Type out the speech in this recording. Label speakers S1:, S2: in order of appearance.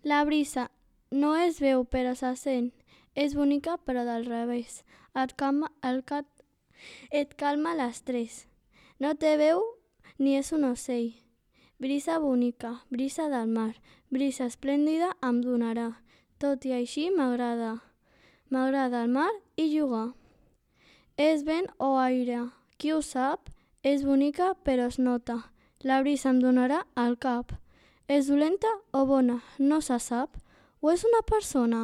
S1: La brisa no es veu però se sent, és bonica però del revés, et calma l'estrès. No té veu ni és un ocell. Brisa bonica, brisa del mar, brisa esplèndida em donarà. Tot i així m'agrada. M'agrada el mar i jugar. És vent o aire, qui ho sap? És bonica però es nota. La brisa em donarà al cap. És dolenta o bona? No se sap. O és una persona?